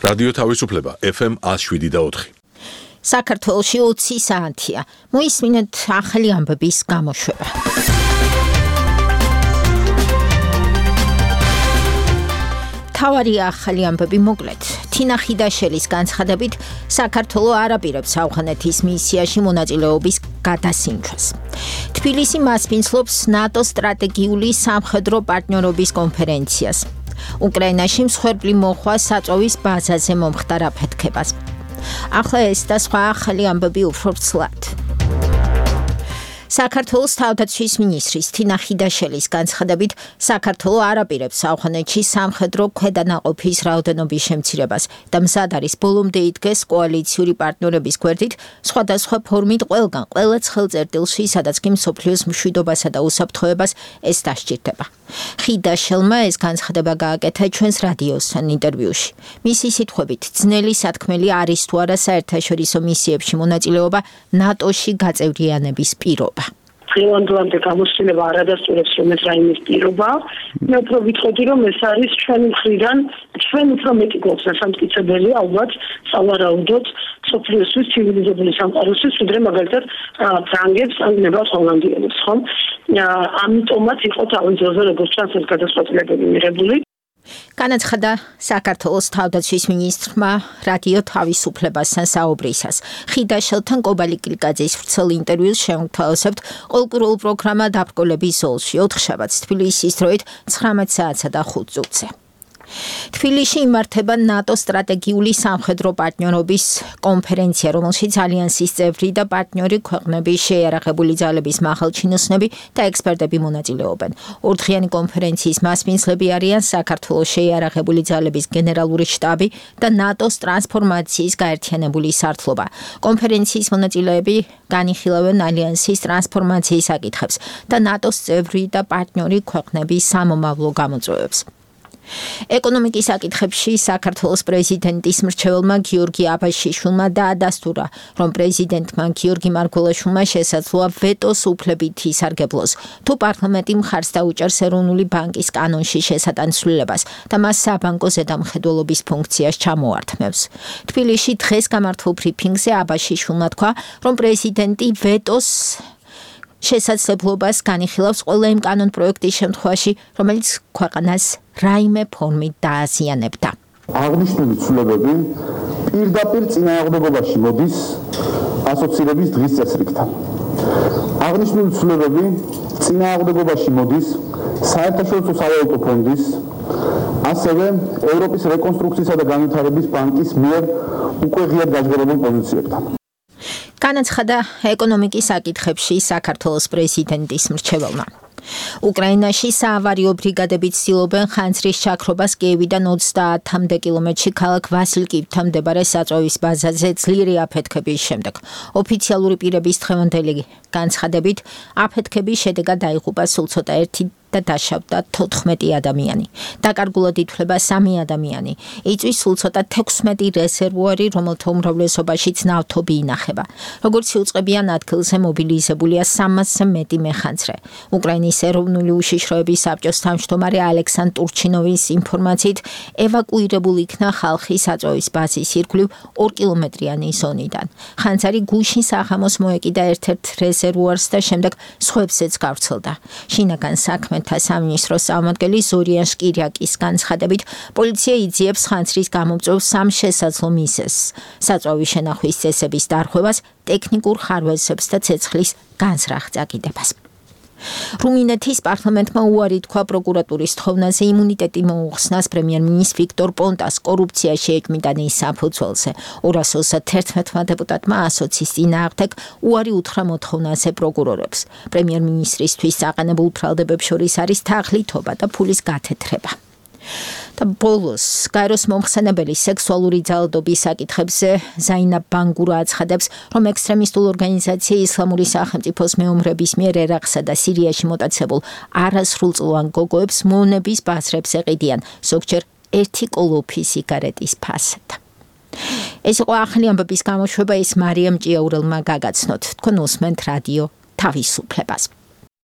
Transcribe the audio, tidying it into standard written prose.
რადიო თავისუფლება FM 107.4. საქართველოში 20 საათია. მოისმინეთ ახალი ამბების გამოშვება. თავარი ახალი ამბები მოკლედ. თინა ხიდაშელის განცხადებით, საქართველო არ აპირებს ავღანეთის მისიაში მონაწილეობის გადასინჯვას. თბილისი მასპინძლობს ნატოს სტრატეგიული სამხედრო პარტნიორობის კონფერენციას. უკრაინაში მსხვერპლი მოხვა საწოვის ბაზაზე მომხდარ აფეთქებას. ახლა ეს და სხვა ახალი ამბები უფრო ვრცლად. საქართველოს თავდაცვის მინისტრის თინა ხიდაშელის განცხადებით, საქართველო არ აპირებს ავღანეთში სამხედრო ქვედანაყოფის რაოდენობის შემცირებას და მზად არის ბოლომდე იდგეს კოალიციური პარტნიორების გვერდით სხვადასხვა ფორმით ყველგან, ყველა ცხელწერტილში, სადაც კი მსოფლიოს მშვიდობასა და უსაფრთხოებას ეს დასჭირდება. ხიდაშელმა ეს განცხადება გააკეთა ჩვენს რადიოსთან ინტერვიუში. მისი სიტყვებით, ძნელი სათქმელი არის თუ არა საერთაშორისო მისიებში მონაწილეობა ნატოში გაწევრიანების პირობა. დღევანდელამდე გამოცდილება არ ადასტურებს რომ ეს რაიმის პირობა. მე უფრო ვიტყოდი რომ ეს არის ჩვენი მხრიდან ჩვენ უფრო მეტი გვაქვს დასამტკიცებელი ალბათ სავარაუდოდ სოფლიოსთვის ცივილიზებული სამყაროსთვის ვიდრე მაგალითად ფრანგებს ან ნებავს ჰოლანდიელებს ხომ? ამიტომაც იყო თავის ძროზე როგორც ჩანს ეს გადაწყვეტილებები მიღებული. განაცხადა საქართველოს თავდაცვის მინისტრმა რადიო თავისუფლებასთან საუბრისას. ხიდაშელთან კობალი კილკაძის ვრცელ ინტერვიუს შევთავაზებთ ყოველკვირეულ პროგრამა დაბრკოლების ზოლში 4 შაბათს თბილისის დროით 19 საათსა და 5 წუთზე. თბილისში იმართება ნატოს სტრატეგიული სამხედრო პარტნიორობის კონფერენცია, რომელშიც ალიანსის წევრი და პარტნიორი ქვეყნების შეიარაღებული ძალების მაღალჩინოსნები და ექსპერტები მონაწილეობენ. ორდღიანი კონფერენციის მასპინძლები არიან საქართველოს შეიარაღებული ძალების გენერალური შტაბი და ნატოს ტრანსფორმაციის გაერთიანებული სართლობა. კონფერენციის მონაწილეები განიხილავენ ალიანსის ტრანსფორმაციის საკითხებს და ნატოს წევრი და პარტნიორი ქვეყნების სამომავლო გამოწვევებს. ეკონომიკის საკითხებში საქართველოს პრეზიდენტის მრჩეველმა გიორგი აბაშიშვილმა დაადასტურა, რომ პრეზიდენტმა გიორგი მარგველაშვილმა შესაძლოა ვეტოს უფლებით ისარგებლოს, თუ პარლამენტი მხარს დაუჭერს ეროვნული ბანკის კანონში შესატანცვლილებას და მას საბანკო ზედამხედველობის ფუნქციას ჩამოართმევს. თბილისში დღეს გამართულ ბრიფინგზე აბაშიშვილმა თქვა, რომ პრეზიდენტი ვეტოს შესაძლებლობას განიხილავს ყველა იმ კანონპროექტის შემთხვევაში, რომელიც ქვეყანას რაიმე ფორმით დააზიანებდა. აღნიშნული ცვლილებები პირდაპირ წინააღმდეგობაში მოდის ასოცირების დღის წესრიგთან. აღნიშნული ცვლილებები წინააღმდეგობაში მოდის საერთაშორისო სავალუტო ფონდის, ასევე ევროპის რეკონსტრუქციისა და განვითარების ბანკის მიერ უკვე ღიად გაჟღერებულ პოზიციებთან. განაცხადა ეკონომიკის საკითხებში საქართველოს პრეზიდენტის მრჩეველმა. უკრაინაში საავარიო ბრიგადები ცდილობენ ხანძრის ჩაქრობას კიევიდან 30 კილომეტრში ქალაქ ვასილკივთან მდებარე საწოვის ბაზაზე ძლიერი აფეთქების შემდეგ. ოფიციალური პირების დღევანდელი განცხადებით, აფეთქების შედეგად დაიღუპა სულ ცოტა ერთი და დაშავდა 14 ადამიანი. დაკარგულად ითვლება 3 ადამიანი. იწვის სულ ცოტა 16 რეზერვუარი, რომელთა უმრავლესობაშიც ნავთობი ინახება. როგორც იუწყებიან ადგილზე მობილიზებულია 300-ზე მეტი მეხანძრე. უკრაინის ეროვნული უშიშროების საბჭოს თავმჯდომარე ალექსანდრ ტურჩინოვის ინფორმაციით, ევაკუირებული იქნა ხალხი საწოვის ბაზის ირგვლივ 2 კილომეტრიანი ზონიდან. ხანძარი გუშინ საღამოს მოეკიდა ერთ-ერთ რეზერვუარს და შემდეგ სხვებზეც გავრცელდა. შინაგან საქმე სამინისტროს წარმომადგენელი ზორიან შკირიაკის განცხადებით, პოლიცია იძიებს ხანძრის გამომწვევ 3 შესაძლო მიზეზს: საწვავის შენახვის წესების დარღვევას, ტექნიკურ ხარვეზებს და ცეცხლის განზრახ წაკიდებას. რუმინეთის პარლამენტმა უარი თქვა პროკურატურის თხოვნაზე იმუნიტეტი მოუხსნას პრემიერ-მინისტრ ვიქტორ პონტას კორუფციაში ეჭვმიტანის საფუძველზე. 231 დეპუტატმა ასოცის წინააღმდეგ უარი უთხრა მოთხოვნაზე პროკურორებს. პრემიერ-მინისტრისთვის საყენებულ ბრალდებებს შორის არის თაღლითობა და ფულის გათეთრება. და ბოლოს გაეროს მომხსენებელი სექსუალური ძალადობის საკითხებზე ზაინა ბანგურა აცხადებს, რომ ექსტრემისტულ ორგანიზაცია ისლამური სახელმწიფოს მეომრების მიერ ერაყსა და სირიაში მოტაცებულ არასრულწლოვან გოგოებს მონების ბაზრებს ეყიდიან, ზოგჯერ 1 კოლოფი სიგარეტის ფასად. ეს იყო ახალი ამბების გამოშვება, ის მარიამ ჭიაურელმა გაგაცნოთ. თქვენ უსმენთ რადიო თავისუფლებას.